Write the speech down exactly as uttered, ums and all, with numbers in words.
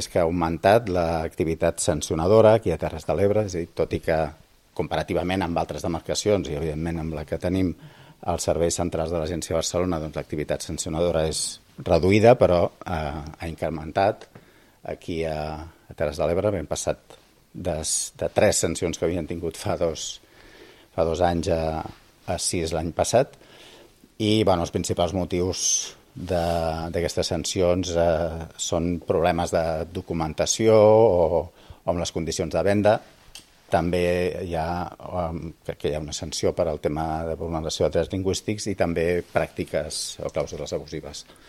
És que ha augmentat l'activitat sancionadora aquí a Terres de l'Ebre, és a dir, tot i que comparativament amb altres demarcacions i evidentment amb la que tenim als serveis centrals de l'Agència de Barcelona, doncs l'activitat sancionadora és reduïda, però eh, ha incrementat aquí a, a Terres de l'Ebre. Hem passat de, de tres sancions que havien tingut fa dos, fa dos anys a, a sis l'any passat. I bueno, els principals motius d'aquestes sancions eh, són problemes de documentació o, o amb les condicions de venda. També hi ha, um, crec que hi ha una sanció per al tema de vulneració de drets lingüístics i també pràctiques o clàusules abusives.